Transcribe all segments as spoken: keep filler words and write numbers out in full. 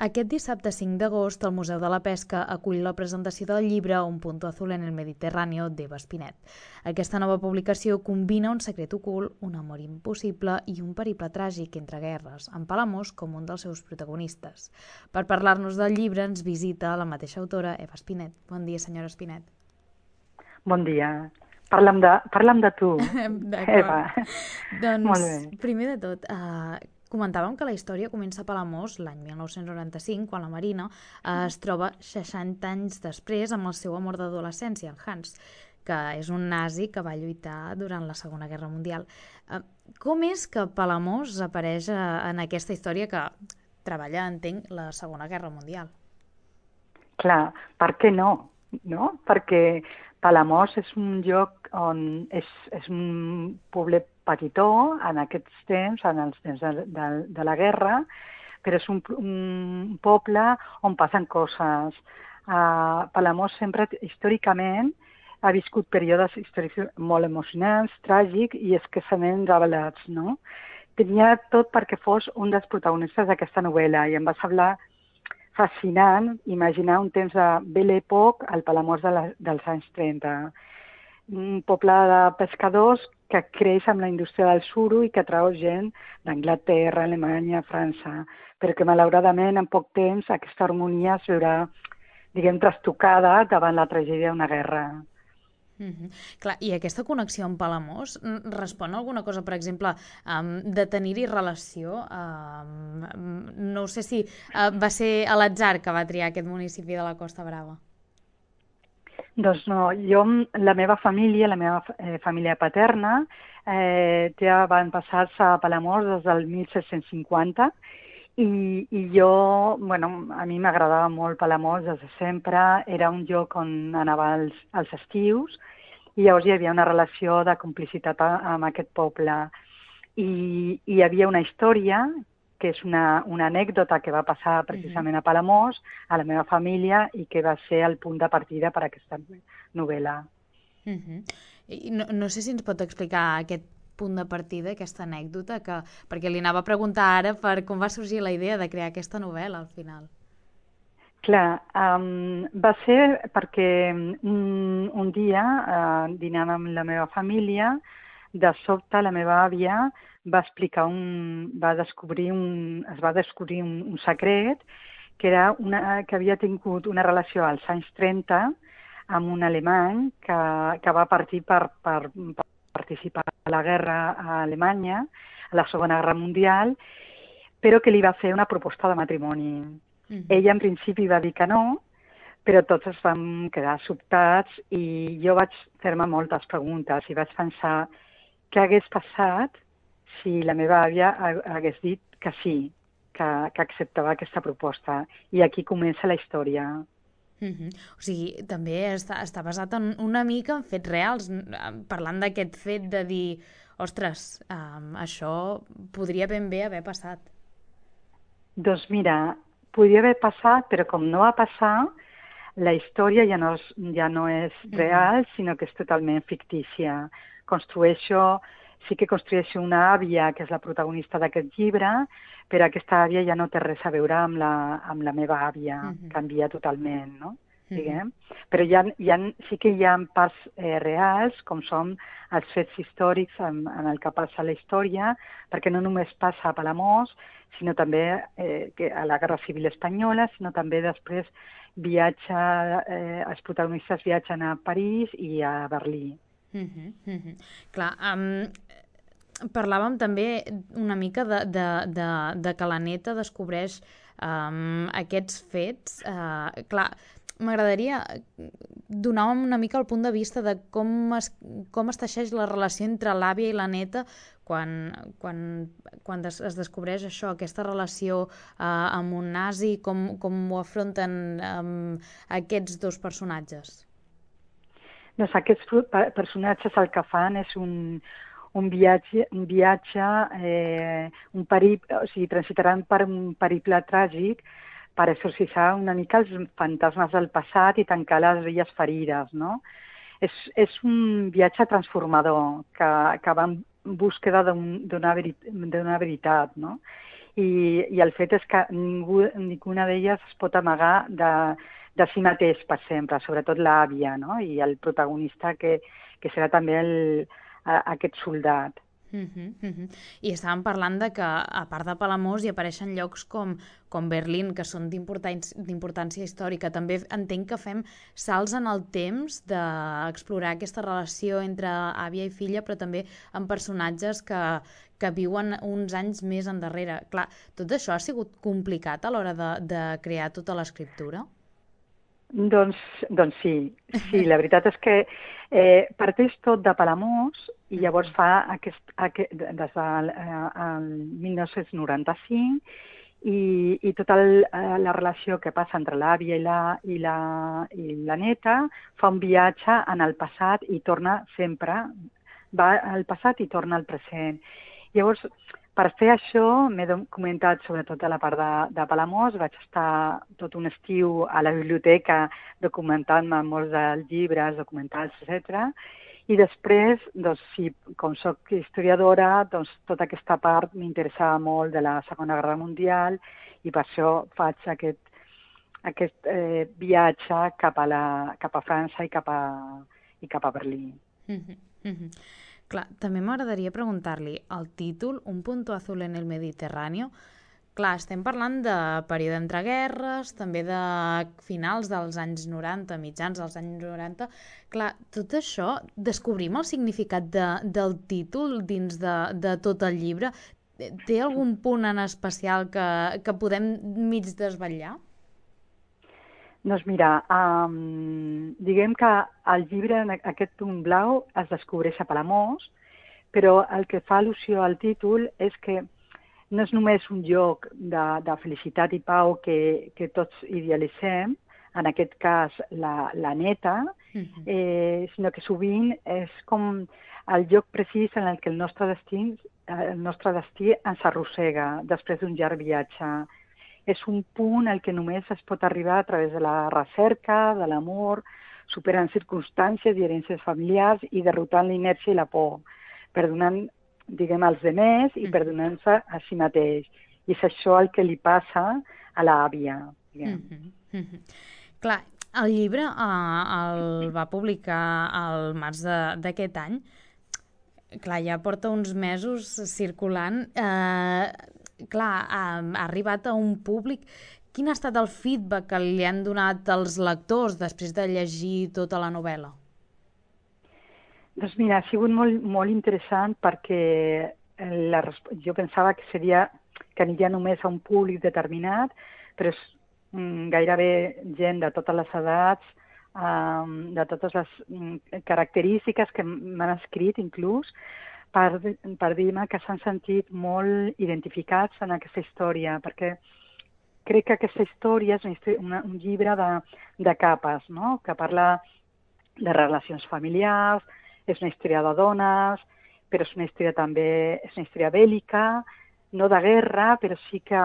Aquest dissabte cinc d'agost el Museu de la Pesca acull la presentació del llibre Un punto azul en el Mediterráneo d'Eva Espinet. Aquesta nova publicació combina un secret ocult, un amor impossible i un periple tràgic entre guerres, amb Palamós com un dels seus protagonistes. Per parlar-nos del llibre ens visita la mateixa autora, Eva Espinet. Bon dia, senyora Espinet. Bon dia. Parla'm de, parla'm de tu, Eva. Doncs, Molt bé. primer de tot, eh, comentàvem que la història comença a Palamós l'any mil nou-cents noranta-cinc, quan la Marina eh, es troba seixanta anys després amb el seu amor d'adolescència, en Hans, que és un nazi que va lluitar durant la Segona Guerra Mundial. Eh, com és que Palamós apareix eh, en aquesta història que treballa, entenc, la Segona Guerra Mundial? Clar, per què no? no? Perquè Palamós és un lloc on és, és un poblet petitó en aquests temps, en els temps de, de, de la guerra, però és un, un poble on passen coses. Uh, Palamós sempre, històricament, ha viscut períodes històrics molt emocionants, tràgics i escassament revelats, no? Tenia tot perquè fos un dels protagonistes d'aquesta novel·la i em va semblar fascinant imaginar un temps de Belle Époque al Palamós de la, dels anys trenta. Un poble de pescadors que creix amb la indústria del suro i que atrau gent d'Anglaterra, Alemanya, França, però que malauradament en poc temps aquesta harmonia es veurà, diguem, trastocada davant la tragèdia d'una guerra. Mm-hmm. Clar, i aquesta connexió amb Palamós respon a alguna cosa, per exemple, um, de tenir-hi relació? Um, no sé si uh, va ser a l'atzar que va triar aquest municipi de la Costa Brava. Doncs no, jo, la meva família, la meva eh, família paterna, eh, ja van passar-se a Palamós des del mil set-cents cinquanta i, i jo, bueno, a mi m'agradava molt Palamós des de sempre, era un lloc on anava als, als estius i llavors hi havia una relació de complicitat amb aquest poble. I, i hi havia una història que és una, una anècdota que va passar precisament a Palamós, a la meva família, i que va ser el punt de partida per a aquesta novel·la. Uh-huh. I no, no sé si ens pot explicar aquest punt de partida, aquesta anècdota, que, perquè li anava a preguntar ara per com va sorgir la idea de crear aquesta novel·la al final. Clar, um, va ser perquè un, un dia, uh, dinant amb la meva família, de sobte la meva àvia va explicar un, va descobrir un, es va descobrir un, un secret que era una, que havia tingut una relació als anys trenta amb un alemany que, que va partir per, per, per participar a la guerra a Alemanya, a la Segona Guerra Mundial, però que li va fer una proposta de matrimoni. Mm-hmm. Ella en principi va dir que no, però tots es vam quedar sobtats i jo vaig fer-me moltes preguntes i vaig pensar què hagués passat si la meva àvia hagués dit que sí, que, que acceptava aquesta proposta. I aquí comença la història. Mm-hmm. O sigui, també està, està basat en una mica en fets reals, parlant d'aquest fet de dir, ostres, um, això podria ben bé haver passat. Doncs mira, podria haver passat, però com no va passar, la història ja no és, ja no és real, mm-hmm. sinó que és totalment fictícia. Construeixo, sí que construeixo una àvia, que és la protagonista d'aquest llibre, però aquesta àvia ja no té res a veure amb la, amb la meva àvia, mm-hmm. canvia totalment, no? Diguem. Mm-hmm. Però hi ha, hi ha, sí que hi ha parts eh, reals, com són els fets històrics en, en el que passa la història, perquè no només passa a Palamós, sinó també eh, que a la Guerra Civil Espanyola, sinó també després viatja, eh, els protagonistes viatgen a París i a Berlín. Uh-huh, uh-huh. Clar, um, parlàvem també una mica de, de, de, de que la neta descobreix um, aquests fets. Uh, clar, m'agradaria donar una mica el punt de vista de com es, com es teixeix la relació entre l'àvia i la neta quan, quan, quan es, es descobreix això, aquesta relació uh, amb un nazi, com, com ho afronten um, aquests dos personatges. Doncs aquests personatges el que fan és un, un viatge, un, viatge eh, un periple, o sigui, transitaran per un periple tràgic per exorcitzar una mica els fantasmes del passat i tancar les velles ferides, no? És, és un viatge transformador que, que va en búsqueda d'una veri, veritat, no? i, i el fet és que ningú, ninguna d'elles es pot amagar de, de si mateix per sempre, sobretot l'àvia, no? I el protagonista que, que serà també el, a, aquest soldat. Uh -huh, uh -huh. I estàvem parlant de que, a part de Palamós, hi apareixen llocs com, com Berlín, que són d'importància històrica. També entenc que fem salts en el temps d'explorar aquesta relació entre àvia i filla, però també amb personatges que, que viuen uns anys més endarrere. Clar, tot això ha sigut complicat a l'hora de, de crear tota l'escriptura? Doncs, doncs sí, sí, la veritat és que eh, parteix tot de Palamós i llavors fa aquest, aquest des del eh, mil nou-cents noranta-cinc i, i tota el, eh, la relació que passa entre l'àvia i la, i, la, i la neta fa un viatge en el passat i torna sempre, va al passat i torna al present. Llavors, per fer això, m'he documentat sobretot a la part de, de Palamós, vaig estar tot un estiu a la biblioteca documentant-me molts dels llibres, documentals, etcètera. I després, doncs, sí, com soc historiadora, doncs tota aquesta part m'interessava molt de la Segona Guerra Mundial i per això faig aquest, aquest eh, viatge cap a, la, cap a França i cap a, i cap a Berlín. Mm-hmm. Mm-hmm. Clar, també m'agradaria preguntar-li el títol, Un punto azul en el Mediterráneo. Clar, estem parlant de període entre guerres, també de finals dels anys noranta, mitjans dels anys noranta. Clar, tot això, descobrim el significat de, del títol dins de, de tot el llibre? Té algun punt en especial que, que podem mig desvetllar? Doncs mira, um, diguem que el llibre, aquest punt blau, es descobreix a Palamós, però el que fa al·lusió al títol és que no és només un lloc de, de felicitat i pau que, que tots idealitzem, en aquest cas la, la neta, uh-huh. eh, sinó que sovint és com el lloc precís en el que el nostre destí, el nostre destí ens arrossega després d'un llarg viatge. És un punt al que només es pot arribar a través de la recerca, de l'amor, superant circumstàncies i herències familiars i derrotant l'inèrcia i la por, perdonant, diguem, als demés i perdonant-se a si mateix. I és això el que li passa a l'àvia. Mm-hmm. Mm-hmm. Clar, el llibre eh, el va publicar al març d'aquest any. Clar, ja porta uns mesos circulant. Eh, clar, ha, ha arribat a un públic. Quin ha estat el feedback que li han donat els lectors després de llegir tota la novel·la? Doncs mira, ha sigut molt, molt interessant perquè la, jo pensava que seria que aniria només a un públic determinat, però és mm, gairebé gent de totes les edats, um, de totes les mm, característiques que m'han escrit inclús, per, per dir-me que s'han sentit molt identificats en aquesta història, perquè crec que aquesta història és una, una, un llibre de, de capes, no? Que parla de relacions familiars, és una història de dones, però és una història també, és una història bèl·lica, no de guerra, però sí que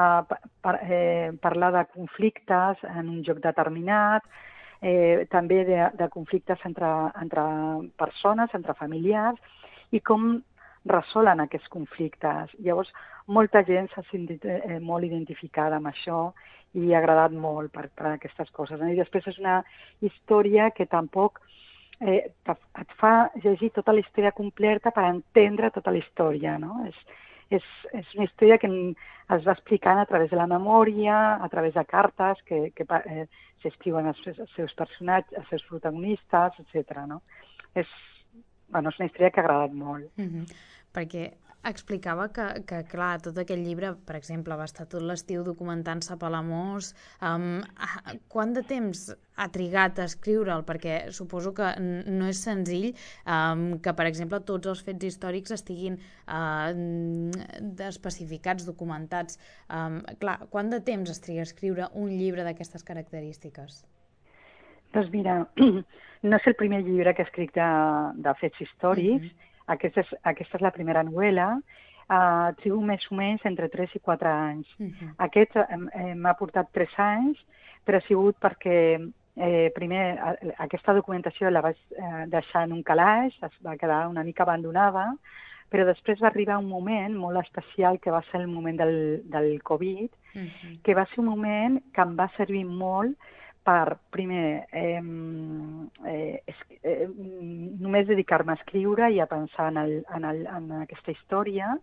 par, eh, parla de conflictes en un lloc determinat, eh, també de, de conflictes entre, entre persones, entre familiars, i com resolen aquests conflictes. Llavors, molta gent s'ha sentit eh, molt identificada amb això i ha agradat molt per, per aquestes coses. I després és una història que tampoc Eh, et fa llegir tota la història completa per entendre tota la història, no? És, és, és una història que es va explicant a través de la memòria, a través de cartes que, que eh, s'escriuen als, als seus personatges, als seus protagonistes, etcètera. No? És, bueno, és una història que ha agradat molt. Mm-hmm. Perquè explicava que, que, clar, tot aquest llibre, per exemple, va estar tot l'estiu documentant-se a Palamós. Um, quant de temps ha trigat a escriure'l? Perquè suposo que no és senzill um, que, per exemple, tots els fets històrics estiguin uh, especificats, documentats. Um, clar, quant de temps es triga a escriure un llibre d'aquestes característiques? Doncs mira, no és el primer llibre que escric de, de fets històrics. Mm-hmm. Aquesta és, aquesta és la primera novel·la. Uh, trigo més o menys entre tres i quatre anys. Uh-huh. Aquest eh, m'ha portat tres anys, però ha sigut perquè eh, primer aquesta documentació la vaig eh, deixar en un calaix, es va quedar una mica abandonada, però després va arribar un moment molt especial que va ser el moment del, del Covid, Mhm. que va ser un moment que em va servir molt per, primer, eh, eh, es, eh, només dedicar-me a escriure i a pensar en, el, en, el, en aquesta història,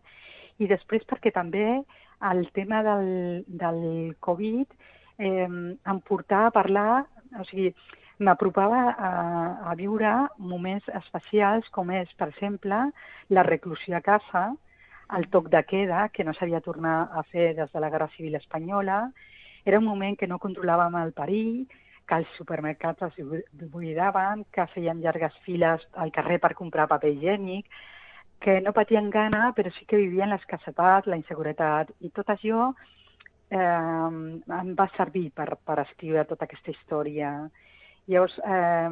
i després perquè també el tema del, del Covid eh, em portava a parlar, o sigui, m'apropava a, a viure moments especials com és, per exemple, la reclusió a casa, el toc de queda, que no s'havia tornat a fer des de la Guerra Civil Espanyola. Era un moment que no controlàvem el perill, que els supermercats es buidaven, que feien llargues files al carrer per comprar paper higiènic, que no patien gana, però sí que vivien l'escassetat, la inseguretat, i tot això eh, em va servir per, per escriure tota aquesta història. Llavors, eh,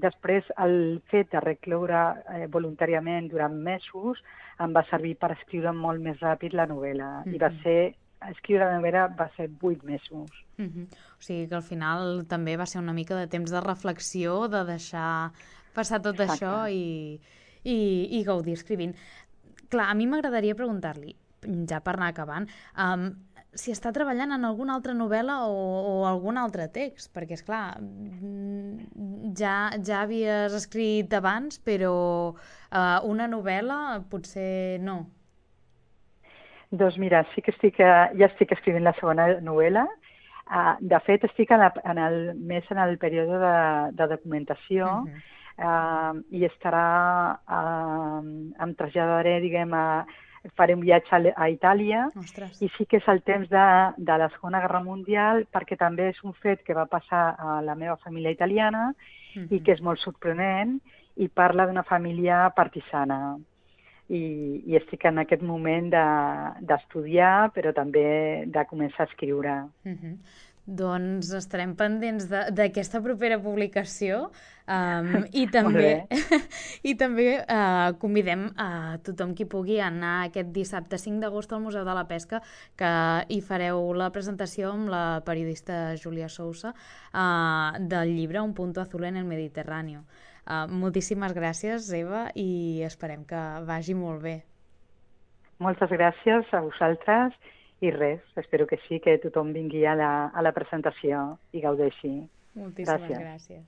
després, el fet de recloure eh, voluntàriament durant mesos em va servir per escriure molt més ràpid la novel·la. Mhm. I va ser, escriure la novel·la va ser vuit mesos. Mhm. O sigui que al final també va ser una mica de temps de reflexió, de deixar passar tot Exacte. això i, i, i gaudir escrivint. Clar, a mi m'agradaria preguntar-li, ja per anar acabant, um, si està treballant en alguna altra novel·la o, o algun altre text, perquè, és clar, ja, ja havies escrit abans, però uh, una novel·la potser no. Doncs mira, sí que estic, eh, ja estic escrivint la segona novel·la. Uh, de fet, estic en, la, en el, més en el període de, de documentació, uh -huh. uh, i estarà, uh, em traslladaré, diguem, a, faré un viatge a, a Itàlia. Ostres. I sí que és el temps de, de la Segona Guerra Mundial, perquè també és un fet que va passar a la meva família italiana, uh -huh. i que és molt sorprenent, i parla d'una família partisana. I, i estic en aquest moment d'estudiar, de, però també de començar a escriure. Uh-huh. Doncs estarem pendents d'aquesta propera publicació, um, i també, i també uh, convidem a tothom qui pugui anar aquest dissabte cinc d'agost al Museu de la Pesca, que hi fareu la presentació amb la periodista Júlia Sousa uh, del llibre Un punto azul en el Mediterráneo. Uh, moltíssimes gràcies, Eva, i esperem que vagi molt bé. Moltes gràcies a vosaltres i res, espero que sí, que tothom vingui a la, a la presentació i gaudeixi. Moltíssimes gràcies. gràcies.